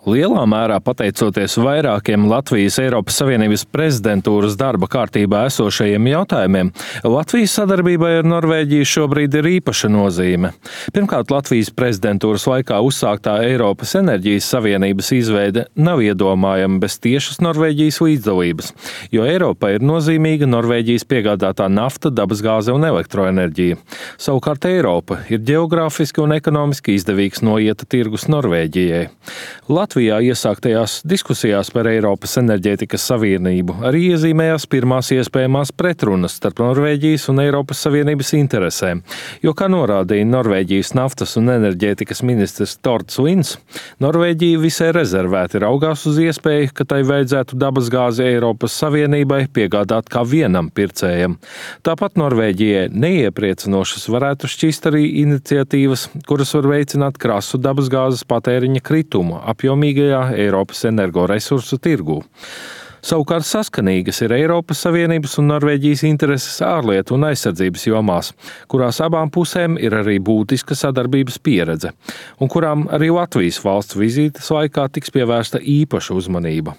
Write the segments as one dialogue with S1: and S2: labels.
S1: Lielā mērā pateicoties vairākiem Latvijas Eiropas Savienības prezidentūras darba kārtībā esošajiem jautājumiem, Latvijas sadarbībai ar Norvēģiju šobrīd ir īpaša nozīme. Pirmkārt, Latvijas prezidentūras laikā uzsāktā Eiropas enerģijas savienības izveide nav iedomājama bez tiešas Norvēģijas līdzdalības, jo Eiropai ir nozīmīga Norvēģijas piegādātā nafta, dabasgāze un elektroenerģija. Savukārt Eiropa ir ģeogrāfiski un ekonomiski izdevīgs noieta tirgus Norvēģijai. Latvijā iesāktajās diskusijās par Eiropas enerģētikas savienību arī iezīmējās pirmās iespējamās pretrunas starp Norvēģijas un Eiropas Savienības interesēm, jo, kā norādīja Norvēģijas naftas un enerģētikas ministrs Torts Lins, Norvēģija visai rezervēti raugās uz iespēju, ka tai vajadzētu dabasgāzi Eiropas Savienībai piegādāt kā vienam pircējam. Tāpat Norvēģijai neiepriecinošas varētu šķist arī iniciatīvas, kuras var veicināt krasu dabasgāzes patēriņa kritumu apjomīgajā Eiropas energoresursu tirgū. Savukārt saskanīgas ir Eiropas Savienības un Norvēģijas intereses ārlietu un aizsardzības jomās, kurās abām pusēm ir arī būtiska sadarbības pieredze, un kurām arī Latvijas valsts vizītes laikā tiks pievērsta īpaša uzmanība.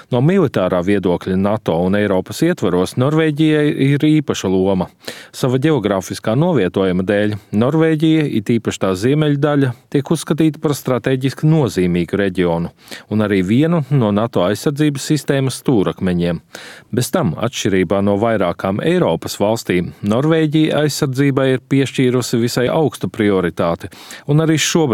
S1: No militārā viedokļa NATO un Eiropas ietvaros Norvēģijai ir īpaša loma. Sava ģeogrāfiskā novietojuma dēļ Norvēģija, it īpaši tā ziemeļdaļa, tiek uzskatīta par strateģiski nozīmīgu reģionu, un arī vienu no NATO aizsardzības sistēmas stūrakmeņiem. Bez tam, atšķirībā no vairākām Eiropas valstīm, Norvēģija aizsardzībai ir piešķīrusi visai augstu prioritāti, un arī šobrīd